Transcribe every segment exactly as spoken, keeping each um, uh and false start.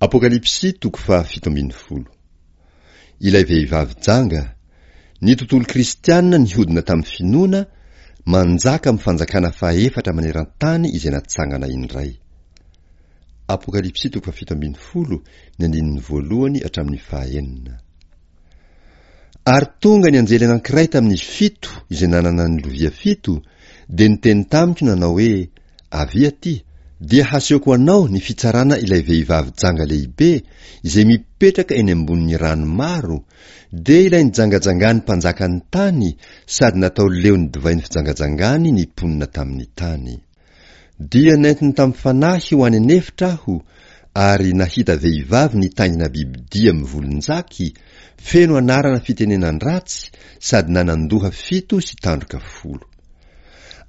Apokalypsy toko fahafito ambin'ny folo. Ilay vehivavy janga, ny tontolo kristiana nihodina tamin'ny finoana, manjaka amin'ny fanjakana fahefatra maneran-tany izay natsangana indray. Apokalypsy toko fahafito ambin'ny folo, ny andininy voalohany hatramin'ny fahaenina. Ary tonga ny anjely anankiray tamin'izy fito izay nanana ny lovia fito, dia niteny tamiko nanao hoe, Avia aty, dia hasehoko anao ny fitsarana ilay vehivavy janga lehibe izay mipetraka eny ambonin'ny rano maro, dia ilay nijangajangany mpanjakan'ny tany sady natao leon'ny divain'ny fijangajangany ny mponina tamin'ny tany. Dia nentiny tamin'ny fanahy ho any an'efitra aho, ary nahita vehivavy nitaingina bibidia mivolon-jaky, feno anarana fitenenan-dratsy sady nanan-doha fito sy tandroka folo.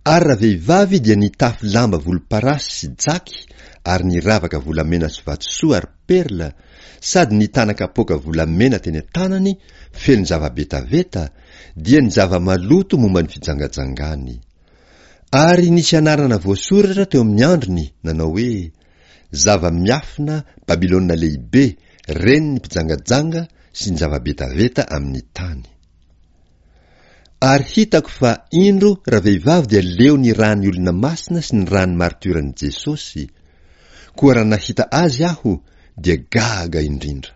Ary ravehivavy dia nitafy lamba volomparasy sy jaky ary niravaka volamena sy vatosoa ary perla, sady nitana kapoaka volamena teny an-tanany feno zava-betaveta, dia ny zava-maloto momba ny fijangajangany. Ary nisy anarana voasoratra teo amin'ny andriny nanao hoe, Zava-miafina, Babylona Lehibe, renin'ny mpijangajanga sy ny zava-betaveta amin'ny tany. Ary hitako fa, indro, ravehivavy dia leo ny ràn'ny olona masina sy ny ràn'ny maritioran'i Jesosy, koa raha nahita azy aho, dia gaga indrindra.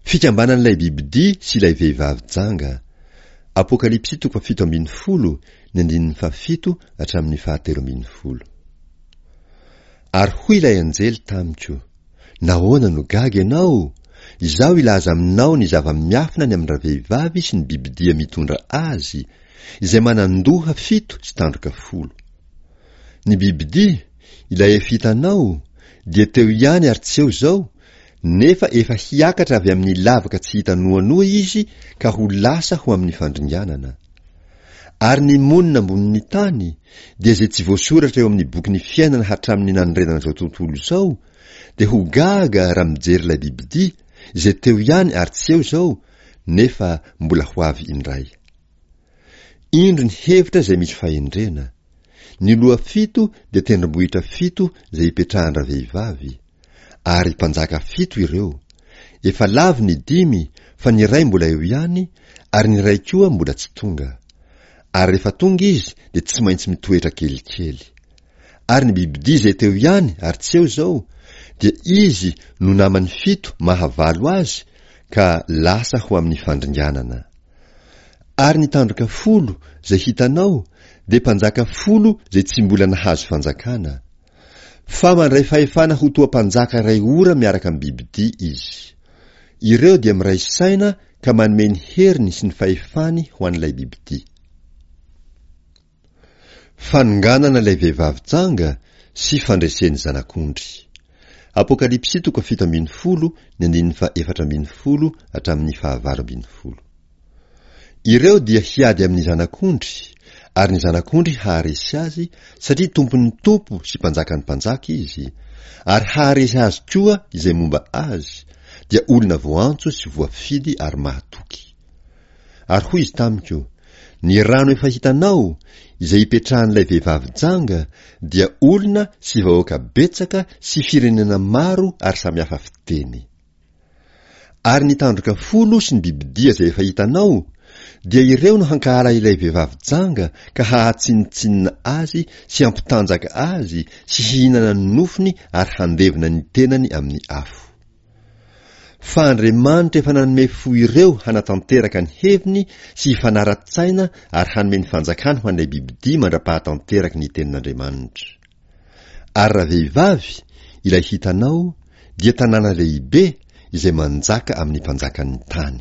Fikambanan'ilay bibidia sy ilay vehivavy janga. Apokalypsy toko fahafito ambin'ny folo, ny andininy fahafito hatramin'ny fahatelo ambin'ny folo. Ary hoy ilay anjely tamiko, Nahoana no gaga ianao? Izaho hilaza aminao ny zava-miafina ny amin-dravehivavy sy ny bibidia mitondra azy, izay manan-doha fito sy tandroka folo. Ny bibidia, ilay efa hitanao, dia teo ihany ary tsy eo izao, nefa efa hiakatra avy amin'ny lavaka tsy hita noanoa izy ka ho lasa ho amin'ny fandringanana. Ary ny monina ambonin'ny tany, dia izay tsy voasoratra eo amin'ny bokin'ny fiainana hatramin'ny nanorenana izao tontolo izao, dia ho gaga raha mijery ilay bibidia, izay teo ihany ary tsy eo izao, nefa mbola ho avy indray. Indro ny hevitra izay misy fahendrena. Ny loha fito dia tendrombohitra fito izay ipetrahan-dravehivavy. Ary mpanjaka fito ireo. Efa lavo ny dimy fa ny iray mbola eo ihany, ary ny iray koa mbola tsy tonga. Ary rehefa tonga izy dia tsy maintsy mitoetra kelikely. Ary ny bibidia izay teo ihany ary tsy eo izao, dia izy no naman'ny fito mahavalo azy ka lasa ho amin'ny fandringanana. Ary ny tandroka folo izay hitanao dia mpanjaka folo izay tsy mbola nahazo fanjakana. Fa mandray fahefana ho toa mpanjaka iray ora miaraka amin'ny bibidia izy. Ireo dia miray saina ka manome ny heriny sy ny fahefany ho an'ilay bibidia. Fanonganana ilay vehivavy janga sy fandresen'ny Zanak'ondry. Apokalypsy toko fito ambin'ny folo ny andininy faha efatra ambin'ny folo hatramin'ny fahavalo ambin'ny folo. Ireo dia hiady amin'ny Zanak'ondry, ary ny Zanak'ondry haharesy azy, satria Tompon'ny tompo sy Mpanjakan'ny mpanjaka Izy, ary haharesy azy koa izay momba Azy, dia olona voantso sy voafidy ary mahatoky. Ary hoy Izy tamiko, Ny rano efa hitanao, izay ipetrahan'ilay vehivavy janga, dia olona sy vahoaka betsaka sy firenena maro ary samihafa fiteny. Ary ny tandroka folo sy ny bibidia izay efa hitanao, dia ireo no hankahala ilay vehivavy janga ka hahatsinontsinona azy sy hampitanjaka azy sy hihinana ny nofony ary handevona ny tenany amin'ny afo. Fa Andriamanitra efa nanome fo ireo hanatanteraka ny heviny sy hifanara-tsaina ary hanome ny fanjakany ho an'ilay bibidia mandra-pahatanteraky ny tenin'Andriamanitra. Ary ravehivavy, ilay hitanao, dia tanàna lehibe izay manjaka amin'ny mpanjakan'ny tany.